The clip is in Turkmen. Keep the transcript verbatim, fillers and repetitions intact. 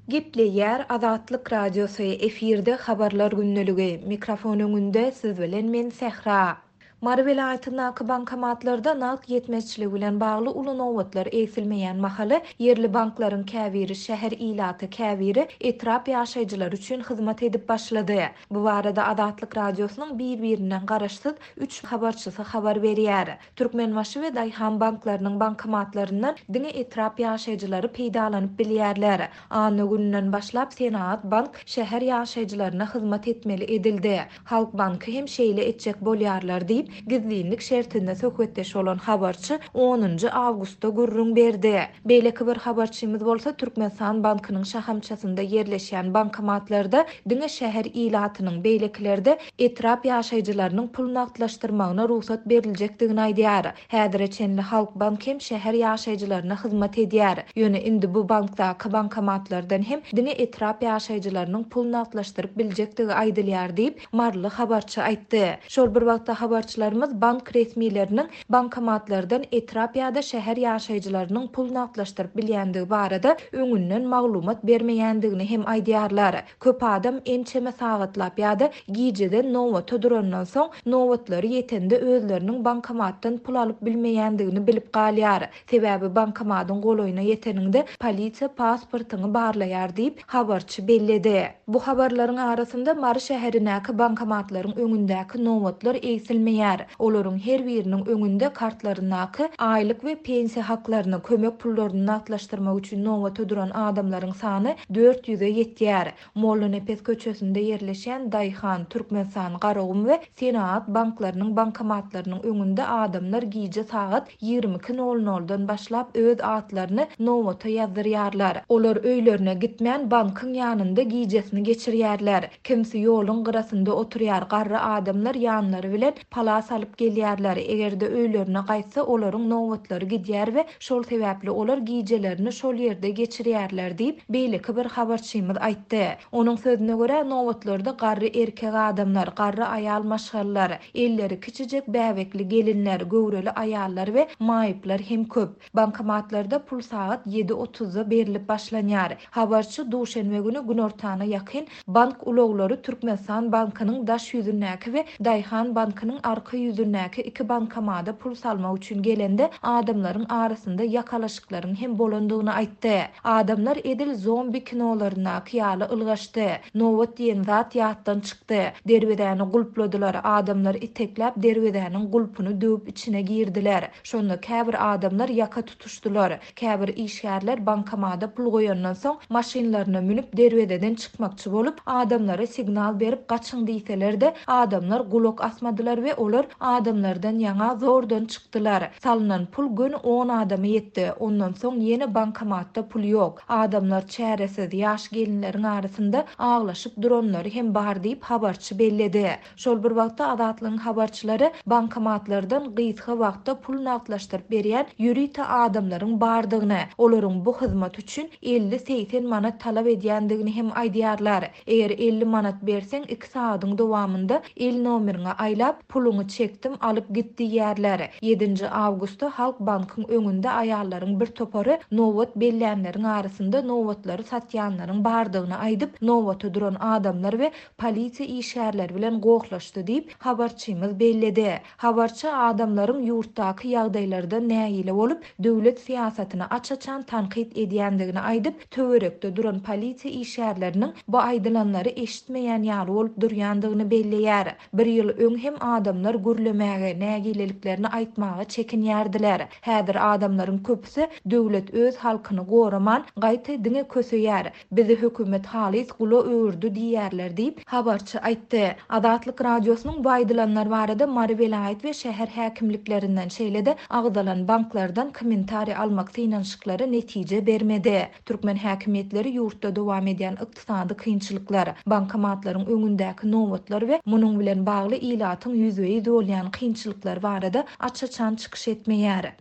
Gepleýär Azatlyk Radiosy, efirde Habarlar gündeligi, mikrofon öňünde siz bilen men Sähra. Mary welaýatyndaky bankomatlarda nagt ýetmezçiligi bilen bagly uly nobatlar egsilmeýän mahaly ýerli banklaryň käbiri şäher ilaty, käbiri etrap ýaşaýjylary üçin hyzmat edip başlady. Bu barada Azatlyk Radiosynyň bir-birinden garaşsyz üç habarçysy habar berýär. Türkmenbaşy we Daýhan banklarynyň bankomatlaryndan diňe etrap ýaşaýjylary peýdalanyp bilýärler. Anna gününden başlap Senagat bank şäher ýaşaýjylaryna hyzmat etmeli edildi. Halk banky hem şeýle etjek bolýarlar diýip, gizlinlik şertinde söhbetdeş bolan habarçy onunjy awgustda gürrüň berdi. Beýleki bir habarçymyz bolsa Türkmenistan bankynyň şahamçasynda ýerleşýän bankomatlarda diňe şäher ilatynyň, beýlekilerde etrap ýaşaýjylarynyň pul nagtlaşdyrmagyna rugsat beriljekdigini aýdýar. Häzire çenli Halk bank hem şäher ýaşaýjylaryna hyzmat edýär. Ýöne indi bu bankdaky bankomatlardan hem diňe etrap ýaşaýjylarynyň pul nagtlaşdyryp biljekdigi aýdylýar diýip, Maryly habarçy aýtdy. Şol bir wagtda habarçylarymyz bank resmileriniň bankomatlardan etrap ýa-da şäher ýaşaýjylarynyň pul nagtlaşdyryp bilýändigi barada öňünden maglumat bermeýändigini hem aýdýarlar. Köp adam ençeme sagatlap ýa-da gijeden nobata durandan soň nobatlary ýetende özleriniň bankomatdan pul alyp bilmeýändigini bilip galýar. Sebäbi bankomatyň golaýyna ýeteninde polisiýa pasportyňy barlaýar diýip habarçy belledi. Bu habarlaryň arasynda Mary şäherindäki bankomatlaryň öňündäki nobatlar egsilmeýär. Olaryň her biriniň öňünde kartlaryndaky aýlyk we pensiýa haklaryny, kömek pullaryny nagtlaşdyrmak üçin nobata duran adamlaryň sany dört ýüze ýetýär. Mollanepes köçesinde ýerleşýän Daýhan, Türkmenistan, Garagum we Senagat banklarynyň bankomatlarynyň öňünde adamlar gije sagat ýigrimi iki nol noldan başlap öz atlaryny nobata ýazdyrýarlar. Olar öýlerine gitmän bankyň ýanynda gijesini geçirýärler. Kimsi ýoluň gyrasynda oturýar, garry adamlar ýanlary bilen palas alyp gelýärler. Eger-de öýlerine gaýtsa olaryň nobatlary gidýär we şol sebäpli olar gijelerini şol ýerde geçirýärler diýip beýleki bir habarçymyz aýtdy. Onuň sözüne görä nobatlarda garry erkek adamlar, garry aýal maşgalalar, elleri kiçijek bäbekli gelinler, göwreli aýallar we maýyplar hem köp. Bankomatlarda pul sagat ýedi otuzda berilip başlanýar. Habarçy duşenbe günü günortana ýakyn bank ulaglary Türkmenistan bankynyň daş ýüzündäki we Daýhan bankynyň arka ýüzündäki iki bankomada pul salmak üçin gelende adamlaryň arasynda ýakalaşyklaryň hem bolandygyny aýtdy. Adamlar edil zombi kinolaryndaky ýaly ylgaşdy. Nobat diýen zat ýatdan çykdy. Derwezäni gulpladylar. Adamlar itekläp derwezäniň gulpuny döwüp içine girdiler. Şonda käbir adamlar ýaka tutuşdylar. Käbir işgärler bankomada pul goýandan soň maşynlaryna münüp derwezeden çykmakçy bolup adamlara signal berip gaçyň diýseler-de adamlar gulak asmadylar we olar adamlardan ýaňa zordan çykdylar. Salynan pul göni on adama ýetdi. Ondan soň ýene bankomatda pul ýok. Adamlar çäresiz, ýaş gelinleriň arasynda aglaşyp duranlary hem bar diýip habarçy belledi. Şol bir wagtda Azatlygyň habarçylary bankomatlardan gysga wagtda pul nagtlaşdyryp berýän ýörite adamlaryň bardygyny, olaryň bu hyzmat üçin elli segsen manat talap edýändigini hem aýdýarlar. Eger elli manat berseň iki sagatyň dowamynda el nomeriňe aýlap puluňy çekdim alyp git diýýärler. Ýedinji awgustda Halk bankyň öňünde aýallaryň bir topary nobat bellänleriň arasynda nobatlary satýanlaryň bardygyny aýdyp, nobata duran adamlar we polisiýa işgärleri bilen gohlaşdy diýip habarçymyz belledi. Habarçy adamlaryň ýurtdaky ýagdaýlardan nägile bolup, döwlet syýasatyny aç-açan tankyt edýändigini aýdyp, töwerekde duran polisiýa işgärleriniň bu aýdylanlary eşitmeýän ýaly bolup durýandygyny belleýär. Bir ýyl öň hem adamlar gürlemäge, nägileliklerini aýtmaga çekinýärdiler. Häzir adamlaryň köpüsi döwlet öz halkyny goraman, gaýta diňe köseýär. Bizi hökümet halys gula öwürdi diýýärler diýip habarçy aýtdy. Azatlyk Radiosynyň bu aýdylanlar barada Mary welaýat we şäher häkimliklerinden şeýle-de agzalan banklardan kommentariý almak synanyşyklary netije bermedi. Türkmen häkimiýetleri ýurtda dowam edýän ykdysady kynçylyklar, bankomatlaryň öňündäki nobatlar we munuň bilen bagly ilatyň ýüzbe-ýüz bolýan kynçylyklar barada aç-açan çykyş etmeýär.